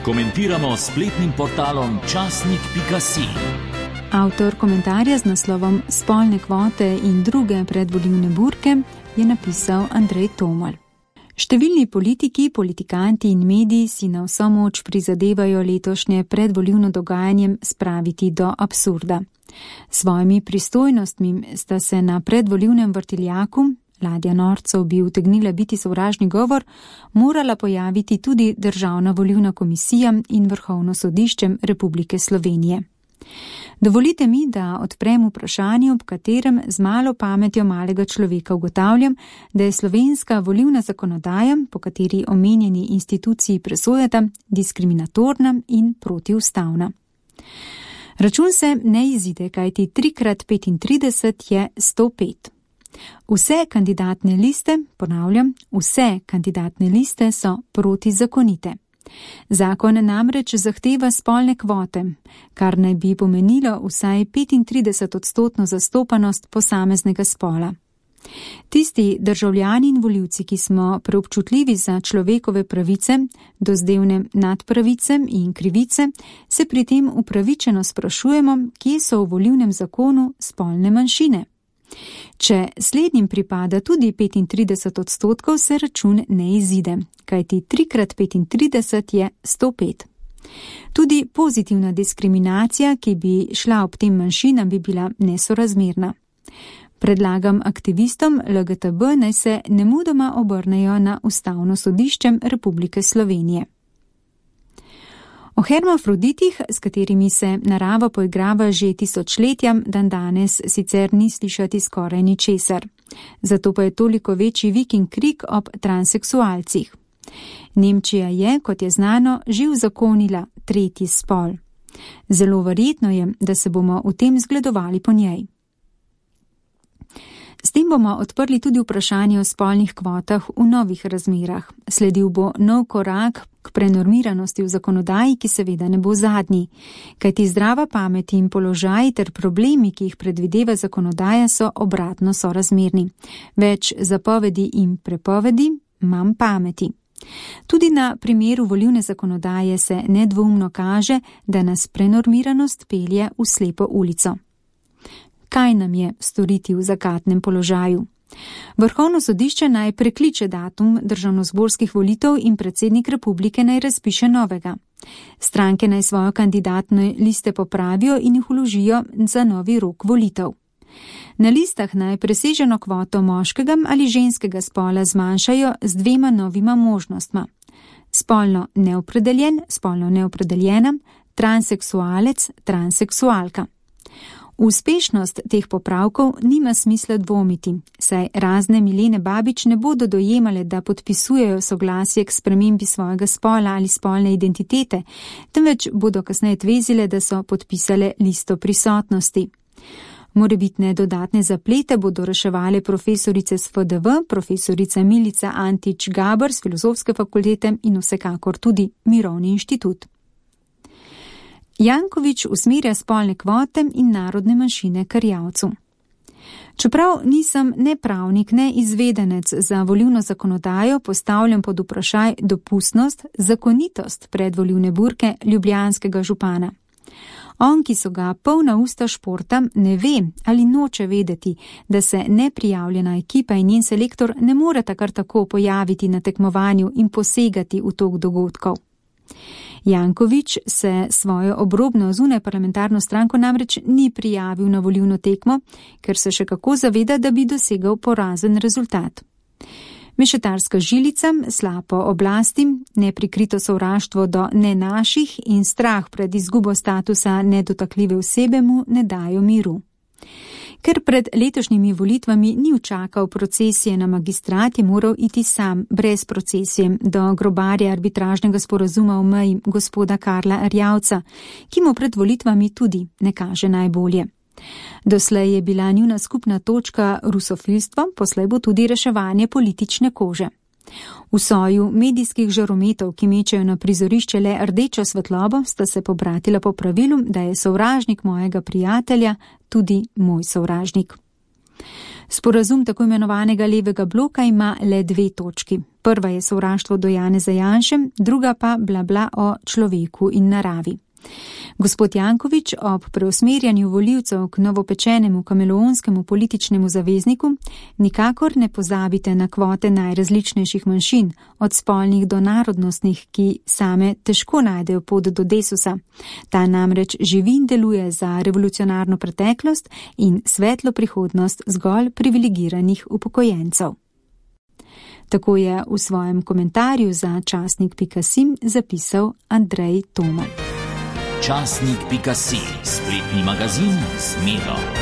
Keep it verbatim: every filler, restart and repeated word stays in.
Komentiramo s spletnim portalom časnik pika si. Avtor komentarja z naslovom Spolne kvote in druge predvolilne burke je napisal Andrej Tomal. Številni politiki, politikanti in mediji si na vso moč prizadevajo letošnje predvolilno dogajanje spraviti do absurda. Svojimi pristojnostmi sta se na predvolilnem vrtiljaku, ladja norcev bi utegnila biti sovražni govor, morala pojaviti tudi Državna volilna komisija in Vrhovno sodišče Republike Slovenije. Dovolite mi, da odprem vprašanje, ob katerem z malo pametjo malega človeka ugotavljam, da je slovenska volilna zakonodaja, po kateri omenjeni instituciji presojata, diskriminatorna in protiustavna. Račun se ne izide, kajti tri krat petintrideset je sto pet. Vse kandidatne liste, ponavljam, vse kandidatne liste so protizakonite. Zakon namreč zahteva spolne kvote, kar naj bi pomenilo vsaj petintrideset odstotno zastopanost posameznega spola. Tisti državljani in volivci, ki smo preobčutljivi za človekove pravice, dozdevne nadpravice in krivice, se pri tem upravičeno sprašujemo, kje so v volilnem zakonu spolne manjšine. Če slednjim pripada tudi petintrideset odstotkov, se račun ne izide, kajti tri krat petintrideset je sto pet. Tudi pozitivna diskriminacija, ki bi šla ob tem manjšinam, bi bila nesorazmerna. Predlagam aktivistom L G T B naj se nemudoma obrnejo na Ustavno sodišče Republike Slovenije. O hermafroditih, s katerimi se narava poigrava že tisočletja, dan danes sicer ni slišati skoraj ničesar. Zato pa je toliko večji vik in krik ob transseksualcih. Nemčija je, kot je znano, že uzakonila tretji spol. Zelo verjetno je, da se bomo v tem zgledovali po njej. S tem bomo odprli tudi vprašanje o spolnih kvotah v novih razmerah. Sledil bo nov korak k prenormiranosti v zakonodaji, ki seveda ne bo zadnji. Kajti zdrava pamet in položaj ter problemi, ki jih predvideva zakonodaja, so obratno sorazmerni. Več zapovedi in prepovedi, manj pameti. Tudi na primeru volilne zakonodaje se nedvoumno kaže, da nas prenormiranost pelje v slepo ulico. Kaj nam je storiti v zakatnem položaju? Vrhovno sodišče naj prekliče datum državnozborskih volitev in predsednik republike naj razpiše novega. Stranke naj svojo kandidatne liste popravijo in jih vložijo za novi rok volitev. Na listah naj preseženo kvoto moškega ali ženskega spola zmanjšajo z dvema novima možnostma. Spolno neopredeljen, spolno neopredeljena, transseksualec, transseksualka. Uspešnost teh popravkov nima smisla dvomiti, saj razne Milene Babič ne bodo dojemale, da podpisujejo soglasje k spremembi svojega spola ali spolne identitete, temveč bodo kasneje tvezile, da so podpisale listo prisotnosti. Morebitne dodatne zaplete bodo reševale profesorice s F D V, profesorica Milica Antič Gaber z Filozofske fakultete in vsekakor tudi Mirovni inštitut. Janković usmerja spolne kvote in narodne manjšine k Erjavcu. Čeprav nisem ne pravnik, ne izvedenec za volilno zakonodajo, postavljam pod vprašaj dopustnost, zakonitost predvolilne burke ljubljanskega župana. On, ki so ga polna usta športa, ne ve ali noče vedeti, da se neprijavljena ekipa in njen selektor ne moreta kar tako pojaviti na tekmovanju in posegati v tok dogodkov. Janković se svojo obrobno zunaj parlamentarno stranko namreč ni prijavil na volilno tekmo, ker se še kako zaveda, da bi dosegal porazen rezultat. Mešetarska žilica, slapo oblasti, neprikrito sovraštvo do ne naših in strah pred izgubo statusa nedotakljive osebe mu ne dajo miru. Ker pred letošnjimi volitvami ni učakal procesije na magistrat, je moral iti sam, brez procesije, do grobarja arbitražnega sporazuma v meji gospoda Karla Erjavca, ki mu pred volitvami tudi ne kaže najbolje. Doslej je bila njuna skupna točka rusofilstvo, poslej bo tudi reševanje politične kože. V soju medijskih žarometov, ki mečejo na prizorišče le rdečo svetlobo, sta se pobratila po pravilu, da je sovražnik mojega prijatelja tudi moj sovražnik. Sporazum tako imenovanega levega bloka ima le dve točki. Prva je sovraštvo do Janeza Janše, druga pa bla bla o človeku in naravi. Gospod Janković ob preusmerjanju volivcev k novopečenemu kameleonskemu političnemu zavezniku nikakor ne pozabite na kvote najrazličnejših manjšin, od spolnih do narodnostnih, ki same težko najdejo pot do Desusa. Ta namreč živi in deluje za revolucionarno preteklost in svetlo prihodnost zgolj privilegiranih upokojencev. Tako je v svojem komentarju za časnik pika si zapisal Andrej Tomalj. Časnik pika si, spletni magazin z Miro.